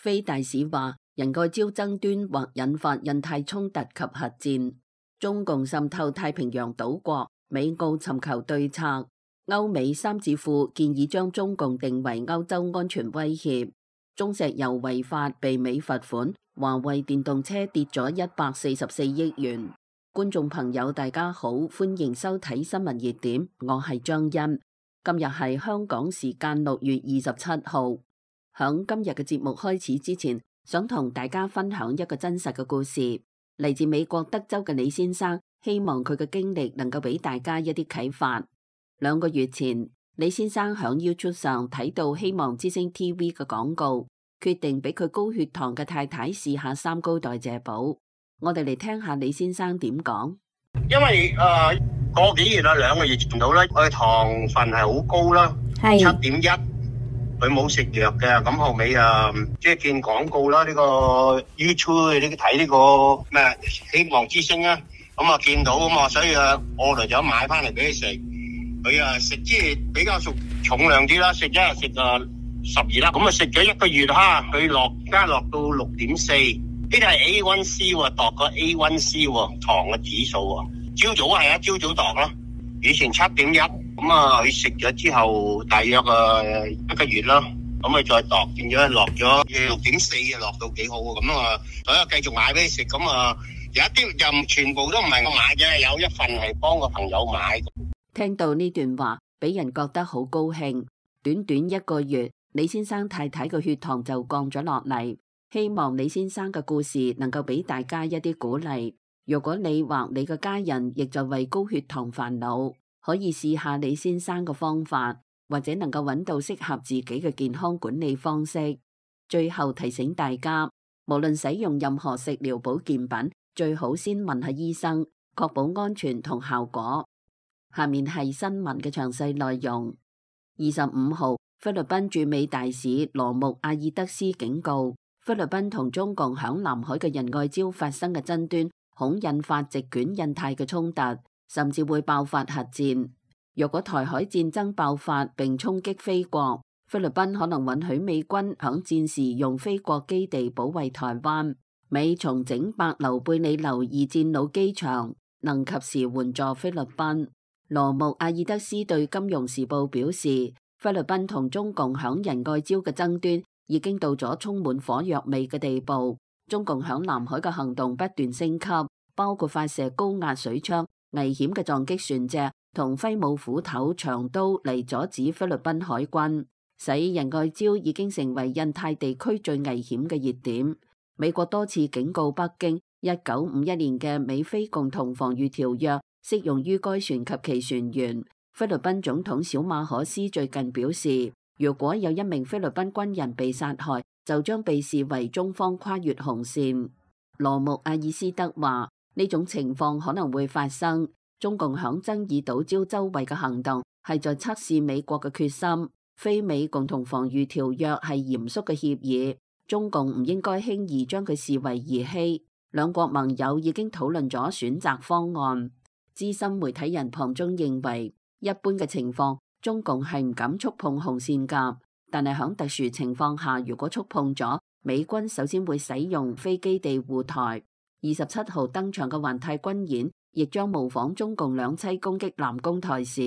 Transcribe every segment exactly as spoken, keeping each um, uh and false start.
菲大使話，仁愛礁爭端或引發印太衝突及核戰。中共滲透太平洋島國，美澳尋求對策。歐美三智庫建議將中共定為歐洲安全威脅。中石油違法被美罰款，華為電動車跌咗一百四十四億元。觀眾朋友大家好，歡迎收睇新聞熱點，我係張欣。今日係香港時間六月二十七號。響今日嘅節目開始之前，想同大家分享一個真實嘅故事，嚟自美國德州嘅李先生，希望佢嘅經歷能夠俾大家一啲啟發。兩個月前，李先生響 YouTube 上睇到希望之星 T V 嘅廣告，決定俾佢高血糖嘅太太試下三高代謝寶。我哋嚟聽下李先生點講。因為誒、呃、個幾月啦，兩個月前到啦，我嘅糖分係好高啦，係七點一。佢冇食藥嘅，咁後尾啊，即係見廣告啦，呢個 YouTube 呢睇呢個咩希望之星啊，咁啊見到啊嘛，所以啊，我嚟咗買翻嚟俾佢食。佢啊食即係比較重重量啲啦，食一日食啊十二粒，咁啊食咗一個月哈，佢落加落到六點四，呢啲係 A 一 C 喎，度個 A 一 C 喎，糖嘅指數喎。朝早係啊，朝早度啦，以前七點一。咁啊，佢食咗之後，大約啊一個月啦，咁啊再度變咗落咗六點四啊，落到幾好啊，咁啊，所以繼續買俾你食，咁啊有一啲就全部都唔係我買嘅，有一份係幫個朋友買。聽到呢段話，俾人覺得好高興。短短一個月，李先生太太嘅血糖就降咗落嚟。希望李先生嘅故事能夠俾大家一啲鼓勵。如果你或你嘅家人亦在為高血糖煩惱，可以試下李先生嘅方法，或者能夠揾到適合自己嘅健康管理方式。最後提醒大家，無論使用任何食療保健品，最好先問下醫生，確保安全同效果。下面係新聞嘅詳細內容。二十五號，菲律賓駐美大使羅穆阿爾德斯警告，菲律賓同中共響南海嘅仁愛礁發生嘅爭端，恐引發席捲印太嘅衝突，甚至會爆發核戰。若果台海戰爭爆發並衝擊菲國，菲律賓可能允許美軍響戰時用菲國基地保衛台灣。美重整伯琉貝里流二戰老機場，能及時援助菲律賓。羅穆阿爾德斯對金融時報表示，菲律賓同中共響仁愛礁嘅爭端已經到咗充滿火藥味嘅地步。中共響南海嘅行動不斷升級，包括發射高壓水槍、危險嘅撞擊船隻同揮舞斧頭、長刀嚟阻止菲律賓海軍，使仁愛礁已經成為印太地區最危險嘅熱點。美國多次警告北京，一九五一年嘅美菲共同防禦條約適用於該船及其船員。菲律賓總統小馬可斯最近表示，如果有一名菲律賓軍人被殺害，就將被視為中方跨越紅線。羅穆阿爾斯德話，呢種情況可能會發生。中共響爭議島礁周圍嘅行動係在測試美國嘅決心。菲美共同防禦條約係嚴肅嘅協議，中共唔應該輕易將佢視為兒戲。兩國盟友已經討論咗選擇方案。資深媒體人龐中認為，一般嘅情況，中共係唔敢觸碰紅線㗎。但係響特殊情況下，如果觸碰咗，美軍首先會使用飛機地護台。二十七號登場嘅環太軍演，亦將模仿中共兩棲攻擊南宮台時，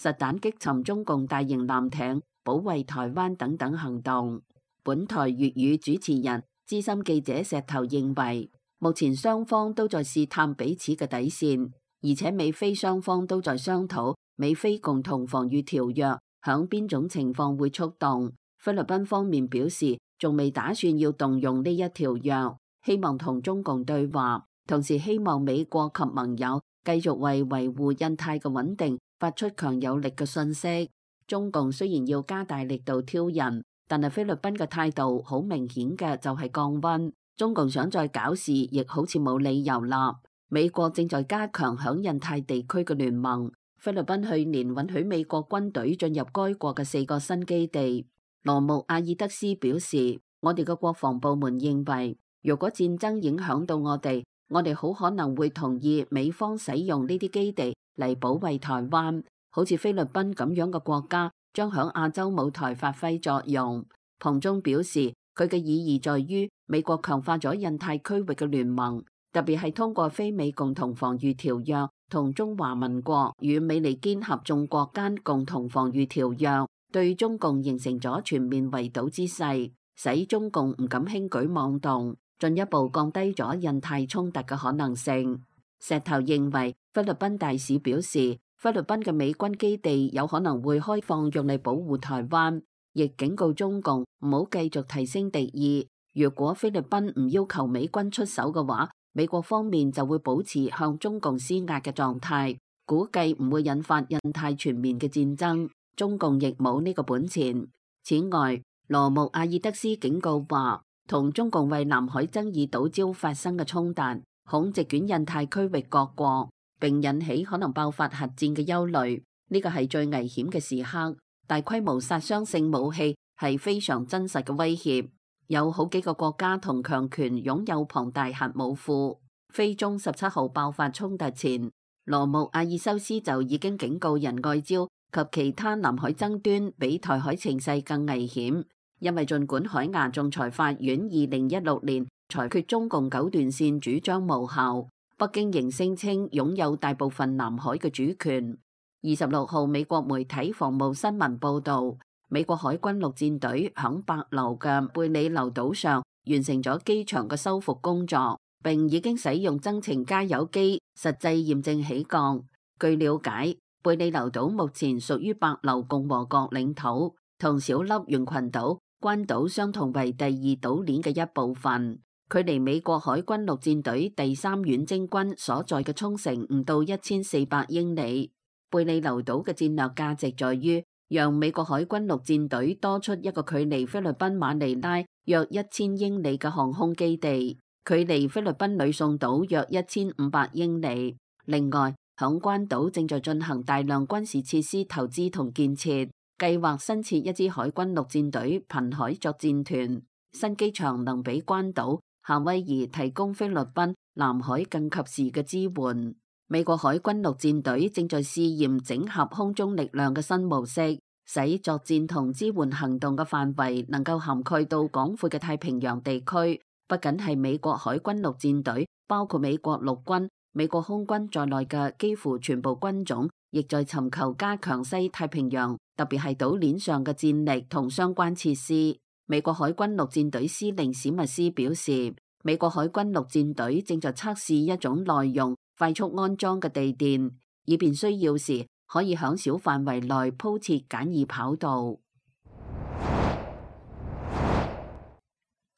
實彈擊沉中共大型艦艇，保衛台灣等等行動。本台粵語主持人、資深記者石頭認為，目前雙方都在試探彼此嘅底線，而且美菲雙方都在商討美菲共同防禦條約響邊種情況會觸動。菲律賓方面表示，仲未打算要動用呢一條約，希望同中共對話，同時希望美國及盟友繼續為維護印太嘅穩定發出強有力嘅訊息。中共雖然要加大力度挑釁，但係菲律賓嘅態度好明顯嘅就係降溫。中共想再搞事，亦好似冇理由啦。美國正在加強響印太地區嘅聯盟。菲律賓去年允許美國軍隊進入該國嘅四個新基地。羅穆阿爾德斯表示，我哋嘅國防部門認為，如果戰爭影響到我哋，我哋好可能會同意美方使用呢啲基地嚟保衛台灣。好似菲律賓咁樣嘅國家，將響亞洲舞台發揮作用。龐中表示，佢嘅意義在於美國強化咗印太區域嘅聯盟，特別係通過非美共同防禦條約同中華民國與美利堅合眾國間共同防禦條約，對中共形成咗全面圍堵之勢，使中共唔敢輕舉妄動，進一步降低咗印太衝突嘅可能性。石頭認為，菲律賓大使表示，菲律賓嘅美軍基地有可能會開放用嚟保護台灣，亦警告中共唔好繼續提升敵意。如果菲律賓唔要求美軍出手嘅話，美國方面就會保持向中共施壓嘅狀態，估計唔會引發印太全面嘅戰爭。中共亦冇呢個本錢。此外，羅姆阿爾德斯警告話，同中共為南海爭議島礁發生嘅衝突，恐席捲印太區域各國，並引起可能爆發核戰嘅憂慮。呢個係最危險嘅時刻，大規模殺傷性武器係非常真實嘅威脅。有好幾個國家同強權擁有龐大核武庫。菲中十七號爆發衝突前，羅姆阿爾修斯就已經警告仁愛礁及其他南海爭端比台海情勢更危險，因為儘管海牙仲裁法院二零一六年裁決中共九段線主張無效，北京仍聲稱擁有大部分南海嘅主權。二十六號，美國媒體防務新聞報導，美國海軍陸戰隊響帛琉嘅貝里留島上完成咗機場嘅修復工作，並已經使用增程加油機實際驗證起降。據了解，貝里留島目前屬於帛琉共和國領土，同小笠原群島、關島相同為第二島鏈嘅一部分。距離美國海軍陸戰隊第三遠征軍所在嘅沖繩唔到一千四百英里。貝里留島嘅戰略價值在於，讓美國海軍陸戰隊多出一個距離菲律賓馬尼拉約一千英里嘅航空基地，距離菲律賓呂宋島約一千五百英里。另外，響關島正在進行大量軍事設施投資同建設，計劃新設一支海軍陸戰隊瀕海作戰團。新機場能俾關島、夏威夷提供菲律賓南海更及時嘅支援。美國海軍陸戰隊正在試驗整合空中力量嘅新模式，使作戰同支援行動嘅範圍能夠涵蓋到廣闊嘅太平洋地區。不僅係美國海軍陸戰隊，包括美國陸軍、美國空軍在內嘅幾乎全部軍種，亦在尋求加強西太平洋，特別係島鏈上嘅戰力同相關設施。美國海軍陸戰隊司令史密斯表示，美國海軍陸戰隊正在測試一種耐用、快速安裝嘅地墊，以便需要時可以響小範圍內鋪設簡易跑道。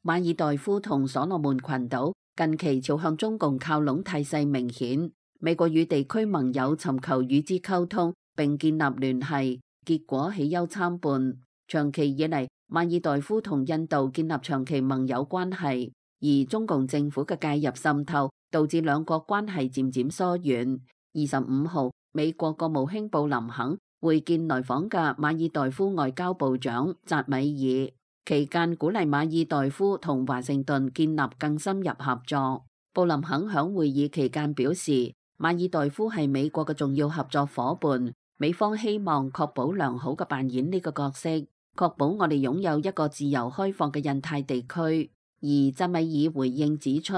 馬爾代夫同所羅門群島近期朝向中共靠攏態勢明顯，美國與地區盟友尋求與之溝通並建立聯繫，結果喜憂參半。長期以嚟，馬爾代夫同印度建立長期盟友關係，而中共政府嘅介入滲透，導致兩國關係漸漸疏遠。二十五號，美國國務卿布林肯會見來訪嘅馬爾代夫外交部長扎米爾，期間鼓勵馬爾代夫同華盛頓建立更深入合作。布林肯響會議期間表示，馬爾代夫係美國嘅重要合作夥伴，美方希望確保良好嘅扮演呢個角色，確保我哋擁有一個自由開放嘅印太地區。而扎米爾回應指出，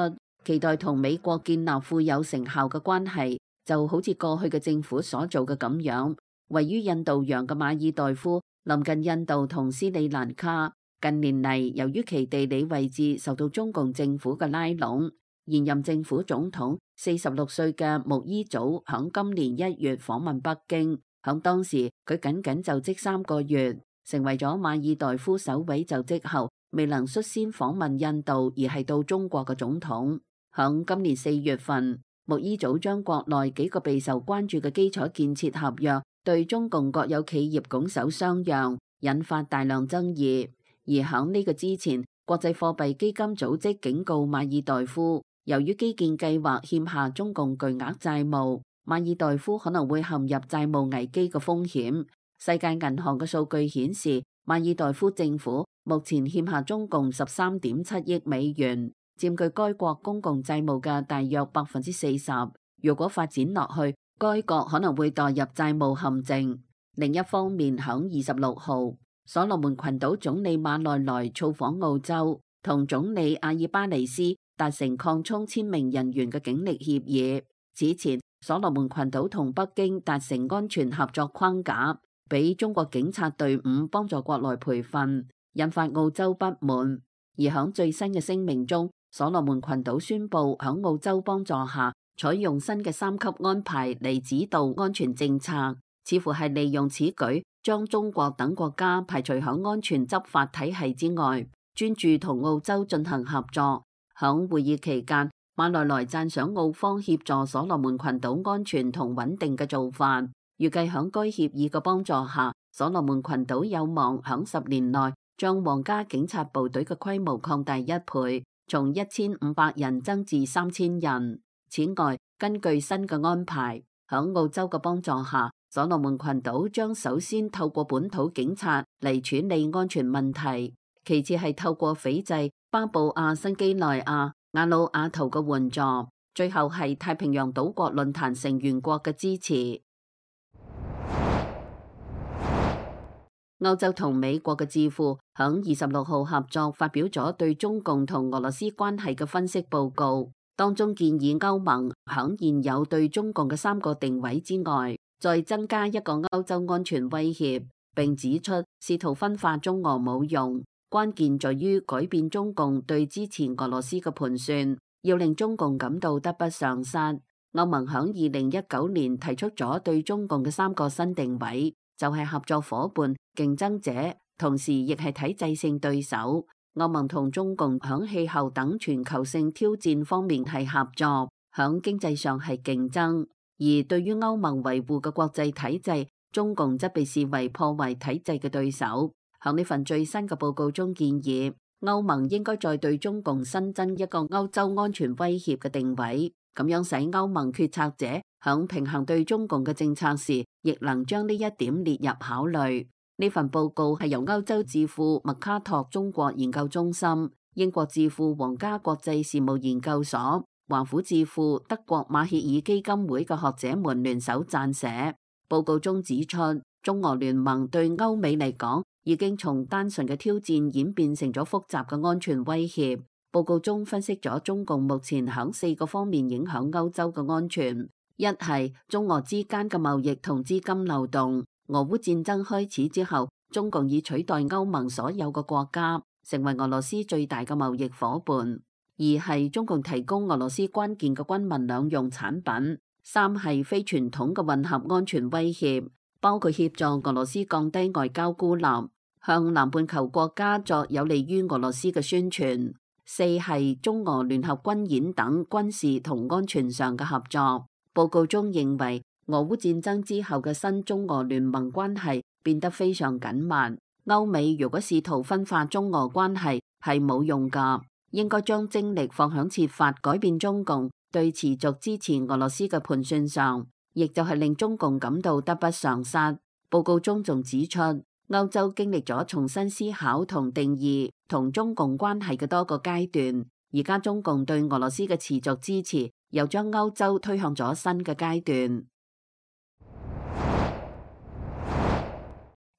期待同美國建立富有成效嘅關係，就好似過去嘅政府所做嘅咁樣。位於印度洋嘅馬爾代夫臨近印度同斯里蘭卡，近年嚟由於其地理位置受到中共政府嘅拉攏，現任政府總統四十六歲嘅穆伊祖響今年一月訪問北京，響當時佢僅僅就職三個月，成為咗馬爾代夫首位就職後未能率先訪問印度而係到中國嘅總統。響今年四月份，穆伊祖將國內幾個備受關注嘅基礎建設合約對中共國有企業拱手相讓，引發大量爭議。而響呢個之前，國際貨幣基金組織警告馬爾代夫，由於基建計劃欠下中共巨額債務，馬爾代夫可能會陷入債務危機嘅風險。世界銀行嘅數據顯示，馬爾代夫政府目前欠下中共十三點七億美元，佔據該國公共債務嘅大約百分之四十。如果發展落去，該國可能會墮入債務陷阱。另一方面，響二十六號，所羅門群島總理馬內萊造訪澳洲，同總理阿爾巴尼斯達成擴充千名人員嘅警力協議。此前，所羅門群島同北京達成安全合作框架，俾中國警察隊伍幫助國內培訓，引發澳洲不滿。而響最新嘅聲明中，所羅門群島宣布響澳洲幫助下，採用新嘅三級安排嚟指導安全政策，似乎係利用此舉將中國等國家排除響安全執法體系之外，專注同澳洲進行合作。響會議期間，馬內萊讚賞澳方協助所羅門群島安全同穩定嘅做法，預計響該協議嘅幫助下，所羅門群島有望響十年內將皇家警察部隊嘅規模擴大一倍，從一千五百人增至三千人。此外，根據新嘅安排，響澳洲嘅幫助下，所羅門群島將首先透過本土警察嚟處理安全問題，其次係透過斐濟、巴布亞新畿內亞、瓦努阿圖嘅援助，最後係太平洋島國論壇成員國嘅支持。歐洲同美國嘅智庫響二十六號合作發表咗對中共同俄羅斯關係嘅分析報告，當中建議歐盟響現有對中共嘅三個定位之外，再增加一個歐洲安全威脅，並指出試圖分化中俄冇用，關鍵在於改變中共對支持俄羅斯嘅盤算，要令中共感到得不償失。歐盟響二零一九年提出咗對中共嘅三個新定位，就係合作夥伴、競爭者，同時亦係體制性對手。歐盟同中共響氣候等全球性挑戰方面係合作，響經濟上係競爭。而對於歐盟維護嘅國際體制，中共則被視為破壞體制嘅對手。響呢份最新嘅報告中建議，歐盟應該再對中共新增一個歐洲安全威脅嘅定位，咁樣使歐盟決策者響平衡對中共嘅政策時，亦能將呢一點列入考慮。呢份報告係由歐洲智庫麥卡托中國研究中心、英國智庫皇家國際事務研究所、華府智庫德國馬歇爾基金會嘅學者們聯手撰寫。報告中指出，中俄聯盟對歐美嚟講已經從單純嘅挑戰演變成咗複雜嘅安全威脅。報告中分析咗中共目前響四個方面影響歐洲嘅安全：一係中俄之間嘅貿易同資金流動。俄烏戰爭開始之後，中共已取代歐盟所有嘅國家，成為俄羅斯最大嘅貿易夥伴。二係中共提供俄羅斯關鍵嘅軍民兩用產品。三係非傳統嘅混合安全威脅，包括協助俄羅斯降低外交孤立，向南半球國家作有利於俄羅斯嘅宣傳。四係中俄聯合軍演等軍事同安全上嘅合作。報告中認為，俄烏戰爭之後嘅新中俄聯盟關係變得非常緊密。歐美如果試圖分化中俄關係係冇用㗎，應該將精力放響設法改變中共對持續支持俄羅斯嘅盤算上，亦就係令中共感到得不償失。報告中仲指出，歐洲經歷咗重新思考同定義同中共關係嘅多個階段，而家中共對俄羅斯嘅持續支持又將歐洲推向咗新嘅階段。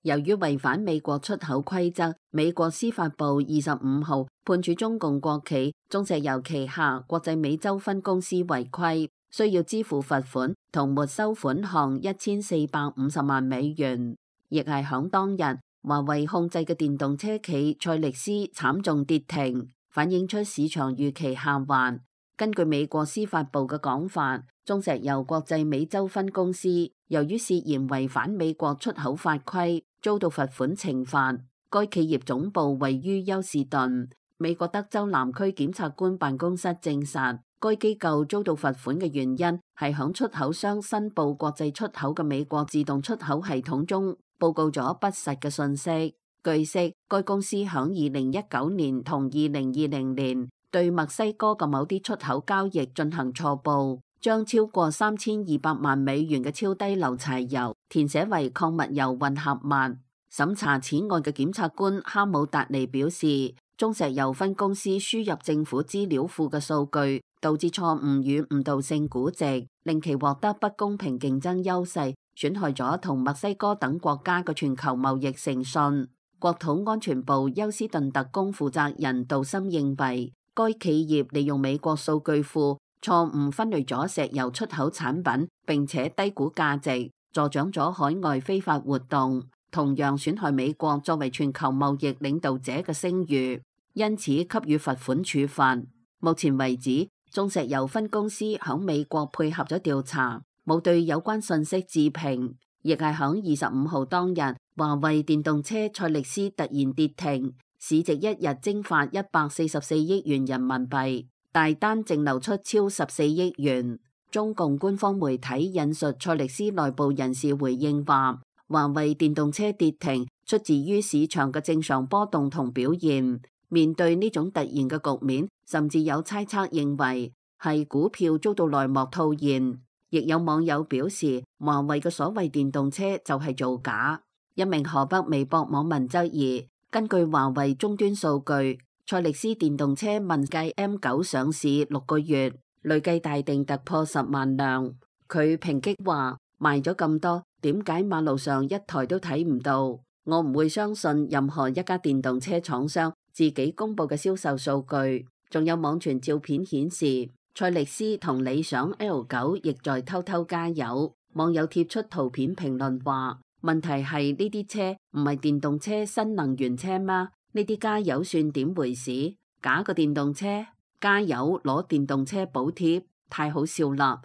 由於違反美國出口規則，美國司法部二十五號判處中共國企中石油旗下國際美洲分公司違規，需要支付罰款同沒收款項一千四百五十萬美元。亦係響當日，華為控制嘅電動車企賽力斯慘重跌停，反映出市場預期下滑。根據美國司法部嘅講法，中石油國際美洲分公司由於涉嫌違反美國出口法規，遭到罰款懲罰。該企業總部位於休士頓。美國德州南區檢察官辦公室證實，該機構遭到罰款嘅原因係響出口商申報國際出口嘅美國自動出口系統中報告咗不實嘅信息。據悉，該公司響二零一九年同二零二零年對墨西哥嘅某啲出口交易進行錯報，將超過三千二百萬美元嘅超低硫柴油填寫為礦物油混合物。審查此案嘅檢察官哈姆達尼表示，中石油分公司輸入政府資料庫嘅數據，導致錯誤與誤導性估值，令其獲得不公平競爭優勢，損害咗同墨西哥等國家嘅全球貿易誠信。國土安全部休斯頓特工負責人杜森認為，該企業利用美國數據庫錯誤分類咗石油出口產品，並且低估價值，助長咗海外非法活動，同樣損害美國作為全球貿易領導者嘅聲譽，因此給予罰款處罰。目前為止，中石油分公司響美國配合咗調查，冇對有關信息置評，亦係響二十五號當日，華為電動車賽力斯突然跌停，市值一日蒸發一百四十四億元人民幣，大單淨流出超十四億元。中共官方媒體引述賽力斯內部人士回應話，華為電動車跌停出自於市場嘅正常波動同表現。面對呢種突然嘅局面，甚至有猜測認為係股票遭到內幕套現，亦有網友表示華為嘅所謂電動車就係造假。一名河北微博網民質疑，根據華為終端數據，賽力斯電動車問界 M 九上市六個月，累計大定突破十萬輛。佢抨擊話，賣咗咁多，點解馬路上一台都睇唔到？我唔會相信任何一家電動車廠商自己公布嘅銷售數據。仲有網傳照片顯示，賽力斯同理想 L 九亦在偷偷加油。網友貼出圖片評論話，問題係呢啲車唔係電動車新能源車嗎？呢啲加油算點回事？假個電動車加油攞電動車補貼，太好笑啦！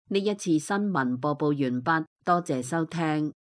呢一次新聞播報完畢，多謝收聽。